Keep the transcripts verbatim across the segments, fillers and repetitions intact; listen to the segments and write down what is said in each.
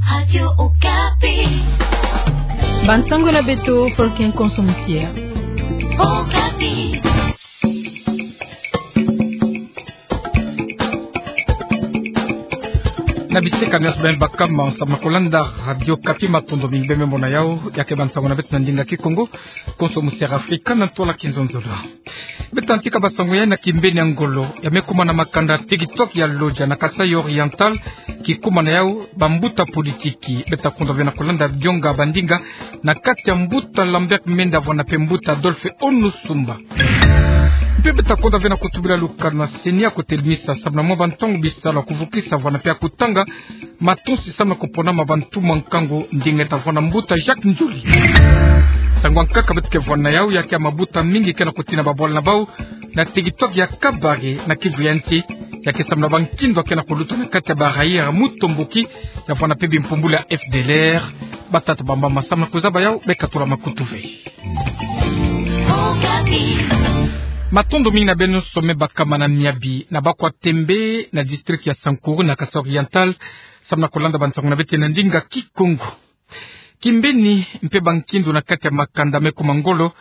Radio Okapi. Bansango na beto, Fulkin Konso Musia. Okapi. Na bisika nionso beno baka mo samu na kolanda Radio Okapi, matondo mingi beno me mona yau, ya ke bansango na beto na ndinga Kikongo, Konso Musia Afrika, na ntwala kizonzolo. Beto tantika bansango ya na kimbeni ya ngolo, ya me kumana makanda tekitwaki ya Lodja na Kasaï Oriental, ki kumana yau bambuta politiki. Beto ta konda ve na kolanda bionga bandinga na kati ya mbuta Lambert Mende, avwanda mpe mbuta Adolphe Onosumba. Mpe beto ta konda ve na kutubila lukanu ya CENI ya kotelimisa samu na mwa bantangu bisalu ya kuvukisa, avwanda mpe ya kutanga matonsi samu na kupona ma bantu mwa nkangu, ndinga ta vwanda mbuta Jacques Ndjoli. Nsangu ya nkaka beto ke vwanda yau ya ke ya mabuta mingi ke na kutina babwala na bau na tekitwaki ya Kabare na Kivu ya nsi, ya ke samu na bankindo ya ke na kuluta na kati ya barrière Mutomboki, ya vwanda mpe bimpumbulu ya F D L R. Batata bamba ma samu na kuzaba yau, beka tula makutu ve. Matondo mingi na beno nyonso me baka mo na miabi na Bakwa Tembe, na district ya Sankuru, na Kasaï Oriental, samu na kolanda bansango na beto na ndinga Kikongo. Kimbeni mpe bankindo na kati ya makanda me kuma ngolo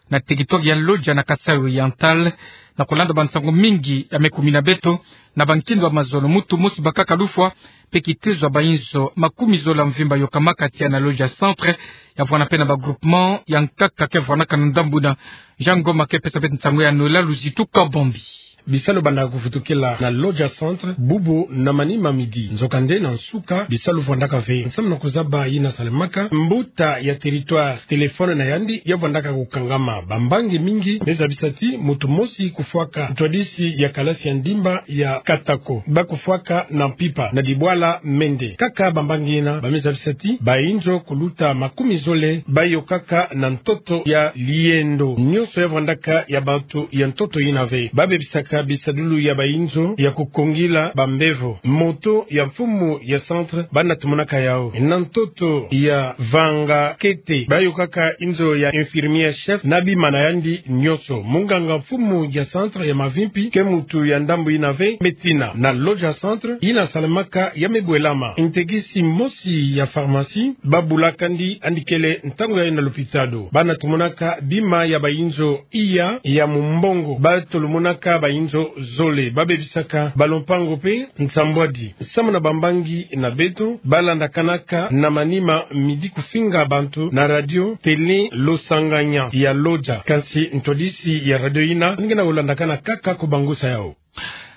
na tekitwaki ya Lodja na Kasaï Oriental, na kolanda bansango mingi ya me kumina beto, na bankindo ya mazono, muntu mosi bakaka lufwa, mpe kitezo ya bainzo makumi zole ya mvimba yokamaka tiya na Lodja Centre, ya vwanda mpe na ba groupement ya nkaka ke vwandaka na ndambu yina. Jean Ngoma ke pesa beto nsangu ya Noëlla Luzitu Kabambi. Bisalu banda kuvutukila na Lodja Centre bubu na manima midi. Nzokande na nsuka bisalu vwandaka ve. Samu na kuzaba yina salemaka, mbuta ya territoire, téléphone na yandi ya vwandaka kukangama. Bambangi mingi me zabisa ti muntu mosi kufwaka ntwadisi ya kalasi ya ndimba ya Katako, ba kufwaka na mpimpa na dibwala Mende. Kaka bambangi yina ba me zabisa ti bainzo kuluta makumi zole ba yokaka na ntoto ya Liendo. Nionso ya vwandaka ya bantu ya ntoto yina ve. Ba bebisaka bisadulu ya bainzo ya kukongila bambevo. Moto ya mfumu ya Centre banda tumonaka yau. Na ntoto ya Vanga Kete, ba yokaka inzo ya infirmière chef na bima na yandi nionso. Munganga mfumu ya Centre ya mavimpi ke muntu ya ndambu yina ve. Médecine na Lodja Centre yina salemaka ya me bwelama. Ntekisi mosi ya pharmacie ba bulaka yandi, yandi kele ntangu yayi na lopitalo. Banda tumonaka bima ya bainzo iya ya mumbongo. Ba tolomonaka bainzo zole. Ba bebisaka balompango mpe nsambwadi. Samu na bambangi na beto ba landakanaka na manima midi kufinga bantu na radio télé Losanganya ya Lodja. Kansi ntwadisi ya radio yina nge na kulandakana kaka kubangusa yau.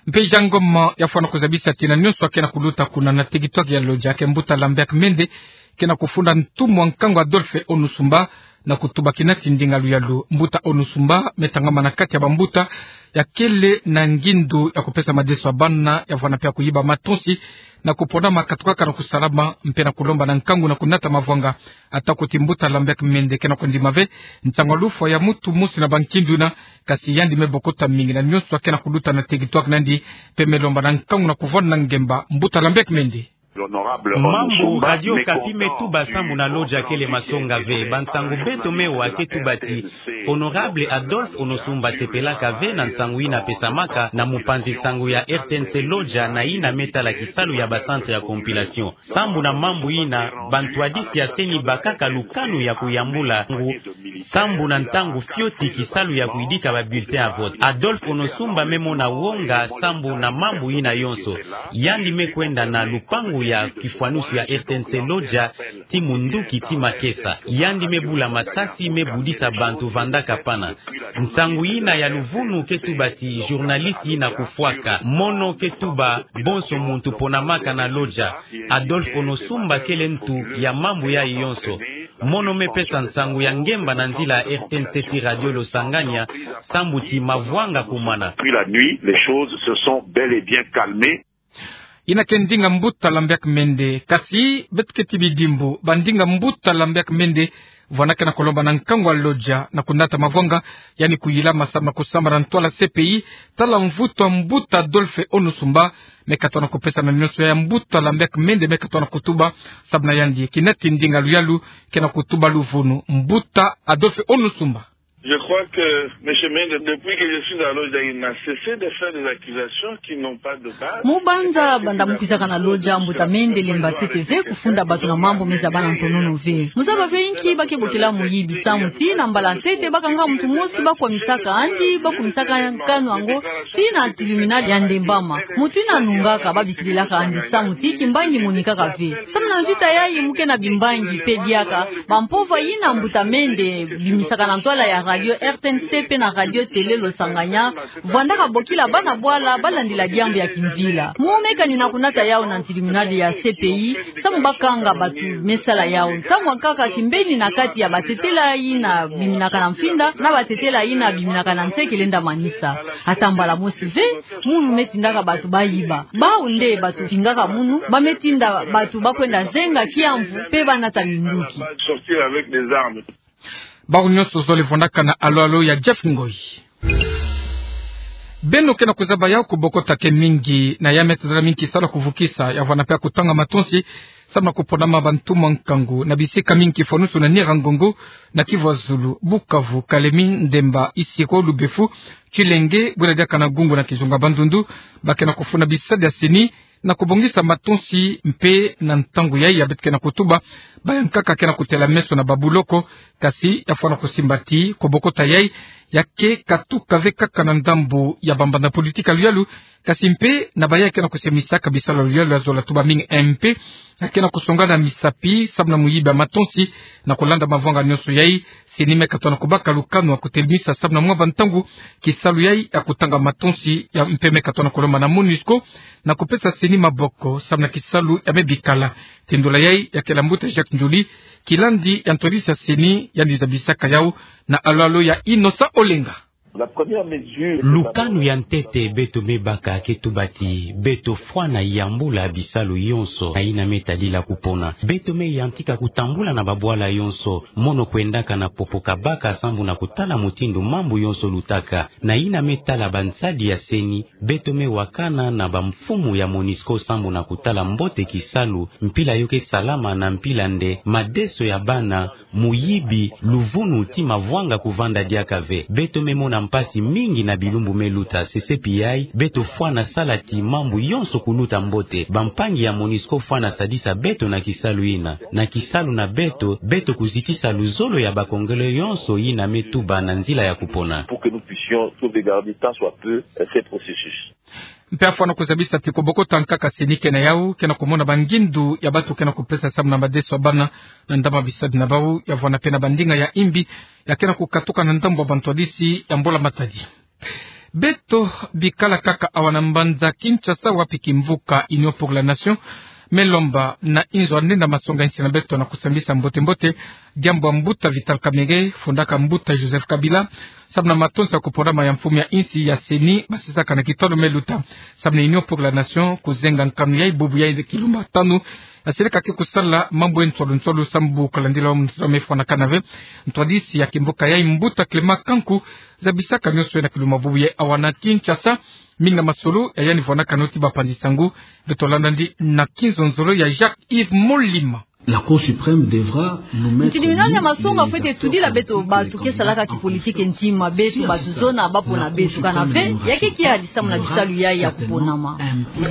Mpe Jean Ngoma ya fwana kuzabisa ti na nionso ya ke na kuluta kuna na tekitwaki ya Lodja, ya ke mbuta Lambert Mende ke na kufunda ntumwa nkangu Adolphe Onosumba, na kutuba kina ti ndinga luyalu. Mbuta Onosumba me tangama na kati ya bambuta ya kele na ngindu ya kupesa madeso ya bana, ya fwana mpe ya kuyiba matonsi, na kupona ma katukaka na kusalama, mpe na kulomba na nkangu na kunata mavwanga. Atako ti mbuta Lambert Mende ke na kundima ve ntangu ya lufwa ya muntu mosi na bankindu yina, kasi yandi me bokota mingi na nionso ya ke na kuluta na tekitwaki na yandi, mpe me lomba na nkangu na kuvwanda na ngemba. Mbuta Lambert Mende. Mambu Radio Okapi me tuba sambu na Lodja kele masonga ve. Bansangu beto me wa ke tuba ti Honorable Adolphe Onosumba asepelaka ve na nsangu yina pesamaka na mupanzi sango ya R T N C Lodja, na yina me tala kisalu ya ba centre ya compilation. Sambu na mambu yina, bantwadisi ya CENI bakaka lukanu ya kuyambula ngu sambu na ntangu fioti kisalu ya kuyidika ba bulletin ya vote. Adolphe Onosumba me mona wonga sambu na mambu yina yonso. Yandi me kwenda na lupangu ya kifwanusu ya R T N C Lodja ti munduki ti makesa. Yandi me bula masasi, me budisa bantu vandaka pana. Nsangu yina ya luvunu ke tuba ti journaliste yina kufwaka. Mono ke tuba bonso muntu ponamaka na Lodja. Adolphe Onosumba kele ntu ya mambu yayi yonso. Mono me pesa nsangu ya ngemba na nzila ya R T N C ti Radio Losanganya, sambu ti mavwanga kumana. Puis la nuit, les choses se sont bel et bien calmées. Yina ke ndinga mbuta Lambert Mende. Kasi beto keti bidimbu, bandinga mbuta Lambert Mende vwana ke na kulomba na nkangu ya Lodja na kunata mavwanga, yandi kuyilama samu na kusamba na ntwala C P I, tala mvutu ya mbuta Adolphe Onosumba me katona kupesa na nionso ya mbuta Lambert Mende me katona kutuba. Samu na yandi, kina ti ndinga luyalu ke na kutuba luvunu. Mbuta Adolphe Onosumba. Je crois que Monsieur Mende, depuis que je suis à Lodja, il n'a cessé de faire des accusations qui n'ont pas de base. Mu banza banda mu kwizaka na Lodja, Mbuta Mende Lemba Ntete ve kufunda bantu na mambu meza bana ntonono ve. Mu zaba ve inki ba ke bokila muyibi? Samu ti na mbala ntete ba kanga muntu mosi ba kwamisaka yandi, ba kumisaka nkanu yango tii na tribunal ya Ndembama. Muntu yina anungaka, ba bikililaka yandi samu ti kimbangi monikaka ve. Samu na mvita yayi mu ke na bimbangi mpe diaka, bampova yina Mbuta Mende bimisaka na ntwala ya radio R T N C mpe na radio télé Losanganya, vwandaka bokila bana bwala ba landila diambu ya kimvila. Mu me kani na kunata yawu na tribunal ya C P I, samu ba kanga bantu me sala yawu. Ntangu ankaka kimbeni na kati ya batetela yina biminaka na mfinda na batetela yina biminaka na nse ke lenda manisa. Ata mbala mosi ve, munu me tindaka bantu ba yiba. Bawu nde bantu tingaka munu, ba me tinda bantu ba kwenda zenga kiamvu mpe ba nata minduki. Sortir avec des armes. Bawu nyonso zole vwandaka na alo-alo ya Jeff Ngoyi. Beno ke na kuzaba yawu, kubokota ke mingi na ya me tazala mingi kisalu ya kuvukisa, ya vwanda mpe ya kutanga matonsi, samu na kuponama bantu mwa nkangu na bisika mingi, kifwanusu na Nyiragongo, na Kivu ya Zulu, Bukavu, Kalemie, Ndemba, Isiro, Lubefu, Tshilenge, bwena diaka na Gungu na kizunga Bandundu, ba ke na kufunda bisadi ya CENI, na kubongisa matonsi mpe na ntangu yayi ya beto ke na kutuba, ba yankaka ke na kutela meso na babuloko, kasi ya fwana kusimba ti kubokota yayi ya ke katuka ve kaka na ndambu ya bambanza politiki ya luyalu, kasi mpe na bayayi ke na kusemisaka bisalu ya luyalu ya zola tuba mingi. MP ya ke na kusonga na misapi samu na muyibi ya matonsi. Na kulanda mavanga nyonso yayi, CENI me katuka na kubaka lukanu ya kutelemisa samu na mwa bantangu kisalu yayi ya kutanga matonsi ya, mpe me katuka na kulomba na MONUSCO na kupesa CENI maboko samu na kisalu ya me bikala. Tindola yayi ya kele ya mbuta Jacques Ndjoli, kilandi ya ntwadisi ya CENI, yandi zabisaka yawu na alo-alo ya Innocent Olenga. La première mesure. Lukanu ya ntete beto me baka ke tuba ti beto fwana yambula bisalu yonso na yina me tadila kupona. Beto me yantika kutambula na babwala yonso, mono kwendaka na popo kabaka sambu na kutala mutindu mambu yonso lutaka. Na yina me tala bansadi ya CENI, beto me wakana na bamfumu ya MONUSCO sambu na kutala mbote kisalu, mpila yo ke salama na mpila nde, madeso ya bana, muyibi, luvunu ti mavanga kuvanda diaka ve. Beto me mona mpasi mingi na bilumbu me luta. CCPI, beto fwana sala ti mambu yonso kuluta mbote. Bampangi ya MONUSCO fwana sadisa beto na kisalu yina. Na kisalu na beto, beto kuzitisa luzolo ya ba Congolais yonso yina me tuba na nzila ya kupona. Pour que nous puissions sauvegarder tant soit peu, euh, ce processus. Mpe ya fwana kuzabisa ti kubokota nkaka CENI ke na yawu, ke na kumona bangindu ya bantu ke na kupesa samu na madeso ya bana na ndambu ya bisadi na bawu, ya vwanda mpe na bandinga ya imbi ya ke na kukatuka na ndambu ya bantwadisi ya mbula matadi. Beto bikala kaka awa na mbanza Kinshasa, wapi kimvuka Union pour la Nation me lomba na inzo ya ndenda masonga insi na beto na kusambisa mbote-mbote diambu ya mbuta Vital Kamerhe, fundaka mbuta Joseph Kabila, samu na matonsi ya kuponama ya mfumu ya insi ya CENI, basisaka na kitono me luta. Samu na Union pour la Nation kuzenga nkanu yayi bubu yayi kilumbu tanu, ya seleka ke kusala mambu ya nsolo-nsolo samu kulandila wa muntu me fwanakana ve. Ntwadisi ya kimvuka yayi, mbuta Clément Kanku, zabisaka nyonso yayi na kilumbu bubu yayi awa na Kinshasa. Mingi na masolo ya yandi vwanakana ti bapanzi sangu. Beto landa yandi na kinzonzolo ya Jacques Yves Molima. La Cour suprême devra nous mettre... Tribunal ya masonga fwete tudila beto bantu ke salaka kipolitike ntima, beto bantu zona bapona beto. Kana ve, ya ke kiadi samu na bisalu yayi ya kuponama.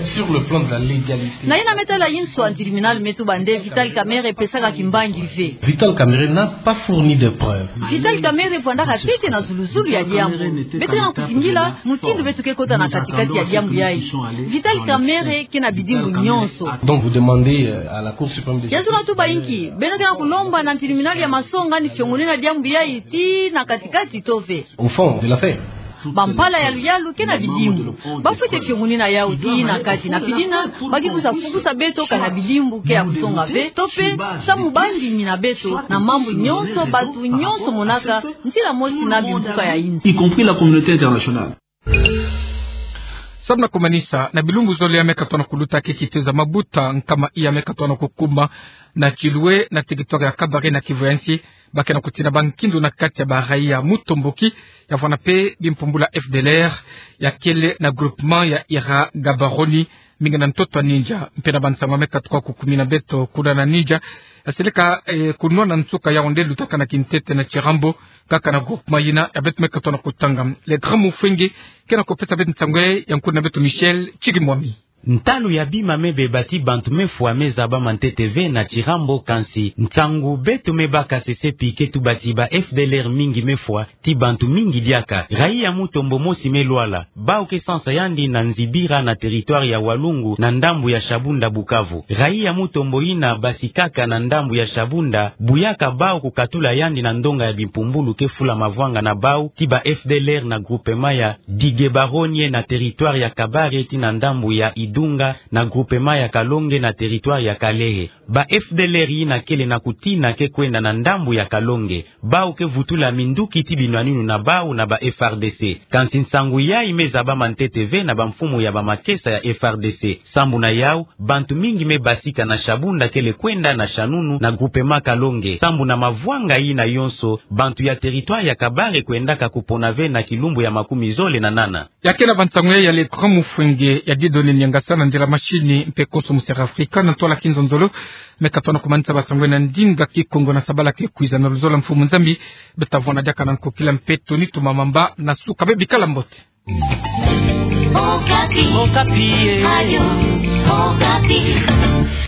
Sur le plan de la légalité. Na yina me tala inso, tribunal me tuba nde Vital Kamerhe pesaka kimbangi ve. Vital Kamerhe n'a pas fourni de preuves. Vital Kamerhe vwandaka ntete na zulu-zulu ya diambu. Beto ke na kuzingila mutindu beto ke kota na kati-kati ya diambu yayi. Vital Kamerhe ke na bidimbu nyonso. Donc vous demandez, euh, à la Cour suprême de justice... Ya zona tuba inki, beno ke na kulomba na tribunal ya masonga ni fiongonina diambu yayi tii na kati-kati to ve. Au fond de l'affaire. Bampala ya luyalu ke na bidimbu. Bafwete fiongonina yawu tii na kati, na pidina, ba ke kwiza fukusa beto kana bidimbu ke ya kusonga ve, to mpe samu bandimina beto na mambu nyonso bantu nyonso monaka ntila mosi na bimvuka ya insi. Y compris la communauté internationale. Samu na kumanisa, na bilumbu zole ya me katuka na kuluta ke kitezo ya mabuta nkama iya me katuka na kukuma na Tshilwé, na territoire ya Kabare na Kivu ya Nsi, ba ke na kutina bankindu na kati ya ba raïa ya Mutomboki, ya vwanda mpe bimpumbulu ya FDLR, ya kele na groupement ya Ira Gaborone, mingi na ntoto ya Niger. Mpe na bansangu ya me katuka kukumina beto kuna na Niger, Aseleka, eh, kunwa na nsuka Yaoundé lutaka na kintete na Tirambo, kaka na groupement yina ya beto me katoa na kutanga. Le Grand Mufwenge ke na kupesa beto nsangu ya nkutu na beto Michel Chirimwami. Ntalu ya bima me beba ti bantu me fwa me zaba ma ntete ve na Tirambo, kansi nsangu beto me baka sesepi ke tuba ti ba F D L R mingi me fwa ti bantu mingi diaka. Raia Mutombo mosi me lwala, bau ke sansa yandi na Nzibira na territoire ya Walungu na ndambu ya Shabunda Bukavu. Raia Mutombo yina basi kaka na ndambu ya Shabunda, buyaka bau kukatula yandi na ndonga ya bimpumbulu ke fula mavwanga na bau ti ba F D L R na groupement ya Digebaronie na territoire ya Kabare ti na ndambu ya Idunga na groupement ya Kalonge na territoire ya Kalehe. Ba F D L R yina kele na kutina ke kwenda na ndambu ya Kalonge, bau ke vutula minduki ti binwaninu na bau na ba F R D C. Kansi nsangu yayi me zaba ma ntete ve na bamfumu ya bamakesa ya F R D C. Sambu na yau, bantu mingi me basika na Shabunda kele kwenda na Shanunu na groupement Kalonge. Sambu na mavwanga yina yonso, bantu ya territoire ya Kabare kwendaka kupona ve na kilumbu ya makumi zole na nana. Ya ke na bansangu ya Le Grand Mufwenge ya didoni niangasa na nzila mashini mpe konso Musera Afrika na ntwala kinzonzolo. Me katoa na kumanisa bansangu na ndinga Kikongo na sabala ke kwiza na luzolo, mfumu Nzambi. Beta vwanda diaka na nkokila mpe toni tumamamba na suka, bebikala mbote. Okapi. Okapi, eh. Radio Okapi.